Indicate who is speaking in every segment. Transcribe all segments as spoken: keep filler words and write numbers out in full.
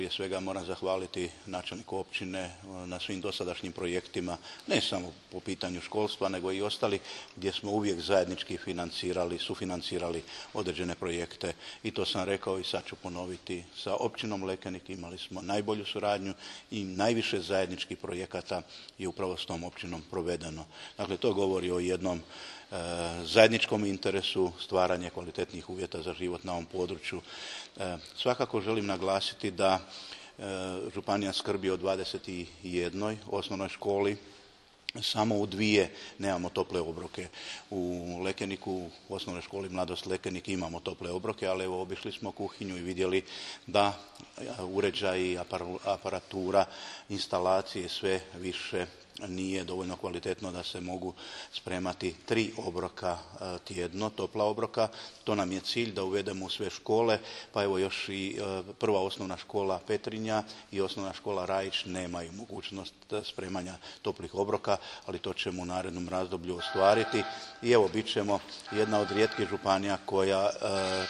Speaker 1: Prije svega moram zahvaliti načelniku općine na svim dosadašnjim projektima, ne samo po pitanju školstva, nego i ostali gdje smo uvijek zajednički financirali, sufinancirali određene projekte. I to sam rekao i sad ću ponoviti. Sa općinom Lekenik imali smo najbolju suradnju i najviše zajedničkih projekata je upravo s tom općinom provedeno. Dakle, to govori o jednom zajedničkom interesu, stvaranje kvalitetnih uvjeta za život na ovom području. Svakako želim naglasiti da županija skrbi o dvadeset jednoj osnovnoj školi, samo u dvije nemamo tople obroke. U Lekeniku, u osnovnoj školi Mladost Lekenik imamo tople obroke, ali evo obišli smo kuhinju i vidjeli da uređaji, aparatura, instalacije sve više nije dovoljno kvalitetno da se mogu spremati tri obroka tjedno, topla obroka. To nam je cilj da uvedemo u sve škole, pa evo još i prva osnovna škola Petrinja i osnovna škola Rajić nemaju mogućnost spremanja toplih obroka, ali to ćemo u narednom razdoblju ostvariti. I evo, bit ćemo jedna od rijetkih županija koja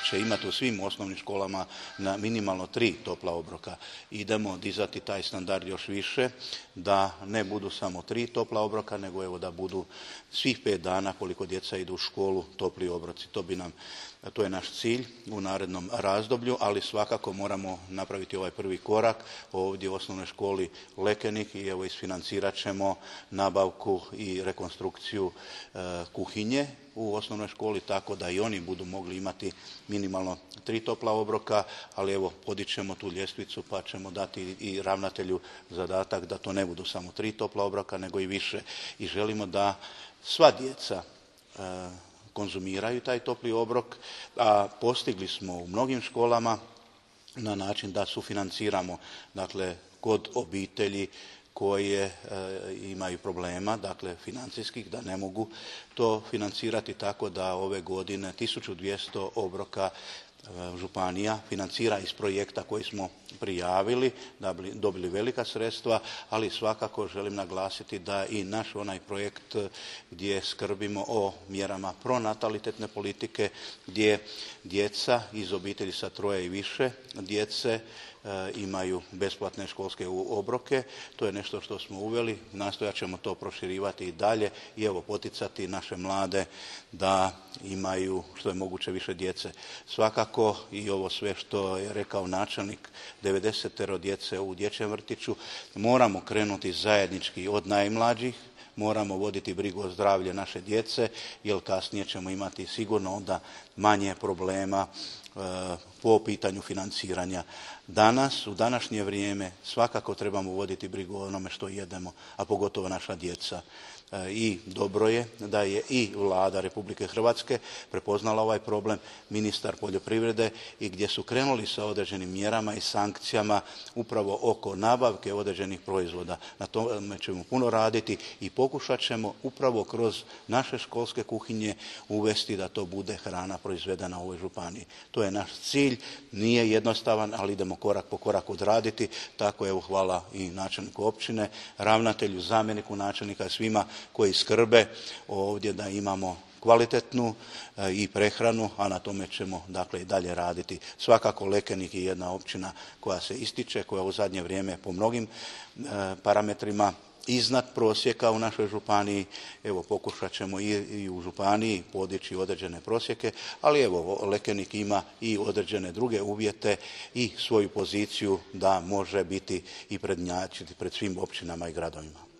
Speaker 1: će imati u svim osnovnim školama na minimalno tri topla obroka. Idemo dizati taj standard još više, da ne budu samo tri topla obroka, nego evo da budu svih pet dana koliko djeca idu u školu topli obroci. To bi nam, to je naš cilj u narednom razdoblju, ali svakako moramo napraviti ovaj prvi korak ovdje u osnovnoj školi Lekenik i evo isfinancirat ćemo nabavku i rekonstrukciju e, kuhinje u osnovnoj školi, tako da i oni budu mogli imati minimalno tri topla obroka, ali evo podićemo tu ljestvicu pa ćemo dati i ravnatelju zadatak da to ne budu samo tri topla obroka, nego i više. I želimo da sva djeca e, konzumiraju taj topli obrok, a postigli smo u mnogim školama na način da sufinanciramo, dakle, kod obitelji koje e, imaju problema, dakle financijskih, da ne mogu to financirati, tako da ove godine tisuću dvjesto obroka županija financira iz projekta koji smo prijavili, da bi dobili velika sredstva, ali svakako želim naglasiti da i naš onaj projekt gdje skrbimo o mjerama pronatalitetne politike, gdje djeca iz obitelji sa troje i više djece imaju besplatne školske obroke. To je nešto što smo uveli, nastojat ćemo to proširivati i dalje i evo poticati naše mlade da imaju što je moguće više djece. Svakako i ovo sve što je rekao načelnik, devedesetero djece u dječjem vrtiću, moramo krenuti zajednički od najmlađih, moramo voditi brigu o zdravlju naše djece, jer kasnije ćemo imati sigurno onda manje problema po pitanju financiranja. Danas, u današnje vrijeme, svakako trebamo voditi brigu o onome što jedemo, a pogotovo naša djeca. I dobro je da je i Vlada Republike Hrvatske prepoznala ovaj problem, ministar poljoprivrede, i gdje su krenuli sa određenim mjerama i sankcijama upravo oko nabavke određenih proizvoda. Na tome ćemo puno raditi i pokušat ćemo upravo kroz naše školske kuhinje uvesti da to bude hrana proizvedena u ovoj županiji. To je naš cilj, nije jednostavan, ali idemo korak po korak odraditi. Tako evo, hvala i načelniku općine, ravnatelju, zamjeniku načelnika, svima koji skrbe ovdje da imamo kvalitetnu i prehranu, a na tome ćemo dakle i dalje raditi. Svakako Lekenik je jedna općina koja se ističe, koja u zadnje vrijeme po mnogim parametrima iznad prosjeka u našoj županiji. Evo, pokušat ćemo i, i u županiji podići određene prosjeke, ali evo, Lekenik ima i određene druge uvjete i svoju poziciju da može biti i prednjačiti pred svim općinama i gradovima.